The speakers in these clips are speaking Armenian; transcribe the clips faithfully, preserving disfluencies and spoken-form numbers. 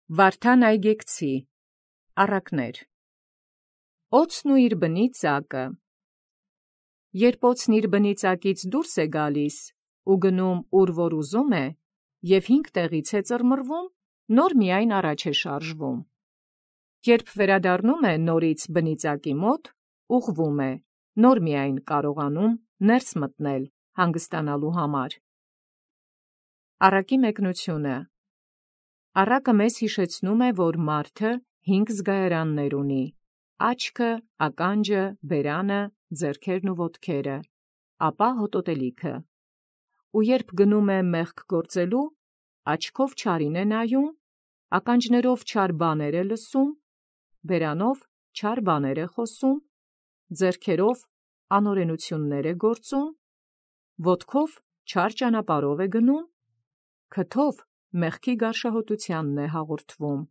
Վարդան այգեկցի, առակներ։ Օձն ու իր բնի ծակը։ Երբ օձն իր բնի ծակից դուրս է գալիս ու գնում ուր որ ուզում է, և հինգ տեղից է ծռմռվում, նոր միայն առաջ է շարժվում։ Երբ վերադառնում է նորից բնի ծակի մոտ, ուղղվում է, նոր միայն կարողանում ներս մտնել հանգստանալու համար։ Առակի մեկնությունը։ Առակը մեզ հիշեցնում է, որ մարդը հինգ զգայարաններ ունի. աչքը, ականջը, բերանը, ձեռքերն ու ոտքերը, ապա հոտոտելիքը։ Ու երբ գնում է մեղք գործելու, աչքով չարին է նայում, ականջներով չար բաներ է լսում, բերանով չար բաներ է խոսում, ձեռքերով անօրենություններ է գործում, ոտքով չար ճանապարհով է գնում, քթով մեղքի գարշահոտությանն է հաղորդվում։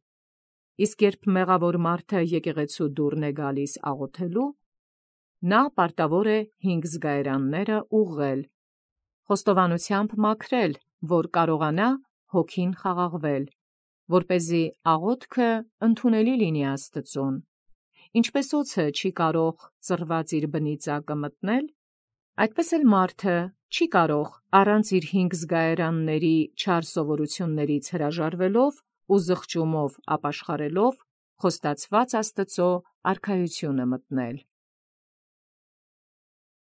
Իսկ երբ մեղավոր մարդը եկեղեցու դուռն է գալիս աղոթելու, նա պարտավոր է հինգ զգայարանները ուղղել, խոստովանությամբ մաքրել, որ կարողանա հոգին խաղաղվել, որպեսզի աղոթքը ընդունելի լինի Աստծուն։ Ինչպես օձը չի կարող ծռված իր բնի ծակը մտնել, այդպես էլ մարդը չի կարող առանց իր հինգ զգայարանների չար սովորություններից հրաժարվելով ու զղջումով ապաշխարելով խոստացված Աստծո արքայությունը մտնել։